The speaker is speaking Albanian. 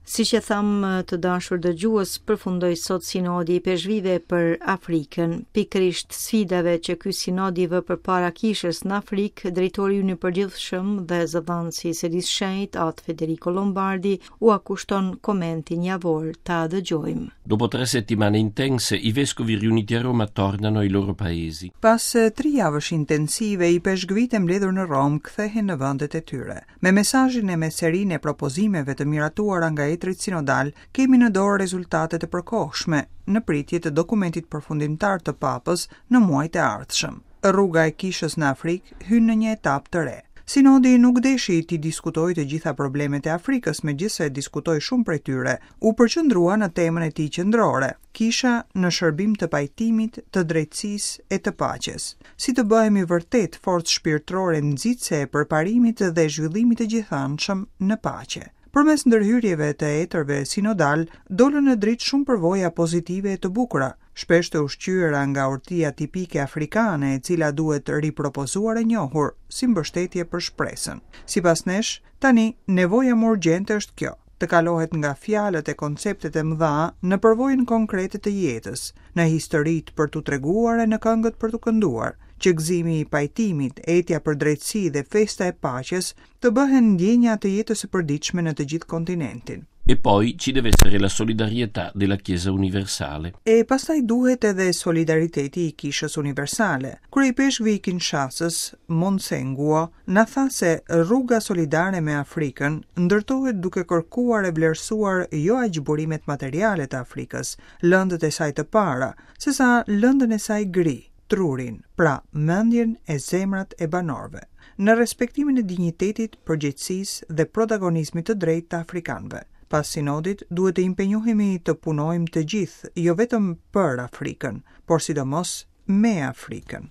Siç e thamë të dashur dëgjues, përfundoi sot sinodi i ipeshkvijve për Afrikën. Pikërisht sfidave që ky sinod i vë përpara kishës në Afrikë, drejtori ynë i përgjithshëm dhe zëdhënësi i Selisë Shenjtë, Atë Federico Lombardi, ua kushton komentin javor ta dëgjojmë. Dopo tre settimane intense, i vescovi riuniti a Roma tornano ai loro paesi. Pas tri javësh intensive, ipeshkvijtë e mbledhur në Romë kthehen në vendet e tyre. Me mesazhin e me serinë e propozimeve të miratuara nga etërit sinodalë, kemi në dorë rezultate të përkohshme, në pritje të dokumentit përfundimtar të Papës në muajt e ardhshëm. Rruga e Kishës në Afrikë hyn në një etapë të re. Sinodi nuk deshi t'i diskutojë të gjitha problemet e Afrikës, megjithëse diskutoi shumë prej tyre, u përqendrua në temën e tij qendrore, Kisha në shërbim të pajtimit, të drejtësisë e të paqes. Si të bëhemi vërtet forcë shpirtërore nxitëse e përparimit dhe zhvillimit të gjithanshëm në paqe. Përmes ndërhyrjeve të etërve sinodalë, dolën në dritë shumë përvoja pozitive e të bukura, shpesh të ushqyera nga urtia tipike afrikane e cila duhet ripropozuar e njohur, si mbështetje për shpresën. Sipas nesh, tani, nevoja më urgjente është kjo, të kalohet nga fjalët e konceptet e mëdha në përvojën konkrete të jetës, në historitë për t'u treguar e në këngët për t'u kënduar, që gëzimi i pajtimit, etja për drejtësi dhe festa e paqes të bëhen ndjenja të jetës së përditshme në të gjithë kontinentin. E poi ci deve essere la solidarietà della Chiesa universale. E pastaj duhet edhe solidariteti i Kishës Universale. Kryeipeshkvi i Kinshasës, Monsenguo, na tha se rruga solidare me Afrikën ndërtohet duke kërkuar e vlerësuar jo aq burimet materiale të Afrikës, lëndët e saj të para, sesa lëndën e saj gri, trurin, pra mendjen e zemrat e banorëve, në respektimin e dinjitetit, përgjegjësisë dhe protagonizmit të drejtë të afrikanëve. Pas sinodit duhet të impenjohemi të punojmë të gjithë, jo vetëm për Afrikën, por sidomos me Afrikën.